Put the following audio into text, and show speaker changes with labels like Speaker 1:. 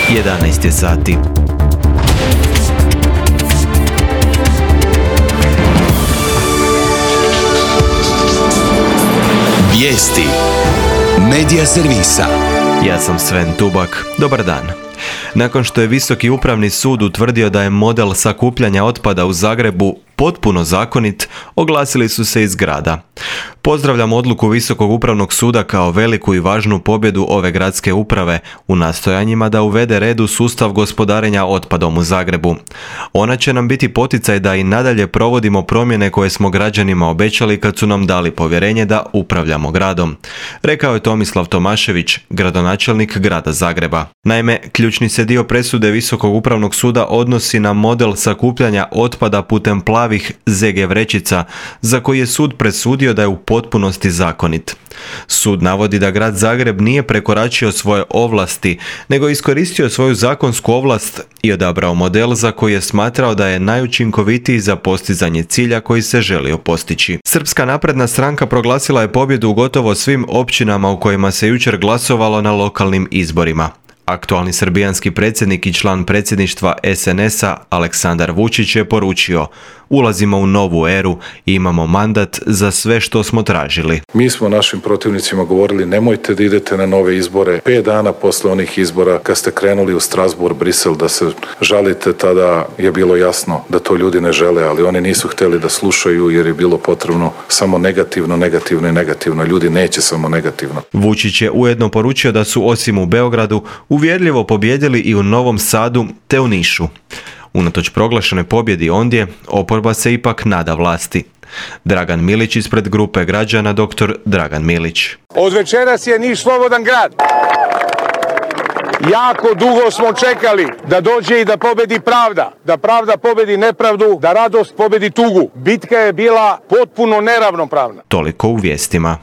Speaker 1: 11 je sati.
Speaker 2: Vijesti Medija servisa.
Speaker 1: Ja sam Sven Tubak. Dobar dan. Nakon što je Visoki upravni sud utvrdio da je model sakupljanja otpada u Zagrebu potpuno zakonit, oglasili su se iz grada. Pozdravljam odluku Visokog upravnog suda kao veliku i važnu pobjedu ove gradske uprave u nastojanjima da uvede red u sustav gospodarenja otpadom u Zagrebu. Ona će nam biti poticaj da i nadalje provodimo promjene koje smo građanima obećali kad su nam dali povjerenje da upravljamo gradom, rekao je Tomislav Tomašević, gradonačelnik grada Zagreba. Naime, ključni se dio presude Visokog upravnog suda odnosi na model sakupljanja otpada putem plavih ZG vrećica, za koji je sud presudio da je u potpunosti zakonit. Sud navodi da grad Zagreb nije prekoračio svoje ovlasti, nego iskoristio svoju zakonsku ovlast i odabrao model za koji je smatrao da je najučinkovitiji za postizanje cilja koji se želio postići. Srpska napredna stranka proglasila je pobjedu u gotovo svim općinama u kojima se jučer glasovalo na lokalnim izborima. Aktualni srbijanski predsjednik i član predsjedništva SNS-a Aleksandar Vučić je poručio: ulazimo u novu eru i imamo mandat za sve što smo tražili.
Speaker 3: Mi smo našim protivnicima govorili nemojte da idete na nove izbore. 5 dana posle onih izbora kad ste krenuli u Strasbourg, Brisel da se žalite, tada je bilo jasno da to ljudi ne žele, ali oni nisu htjeli da slušaju jer je bilo potrebno samo negativno, negativno i negativno. Ljudi neće samo negativno.
Speaker 1: Vučić je ujedno poručio da su osim u Beogradu uvjerljivo pobijedili i u Novom Sadu te u Nišu. Unatoč proglašenoj pobjedi ondje, oporba se ipak nada vlasti. Dragan Milić ispred grupe građana Dr. Dragan Milić.
Speaker 4: Od večeras je Niš slobodan grad. Jako dugo smo čekali da dođe i da pobedi pravda, da pravda pobedi nepravdu, da radost pobedi tugu. Bitka je bila potpuno neravnopravna.
Speaker 1: Toliko u vijestima.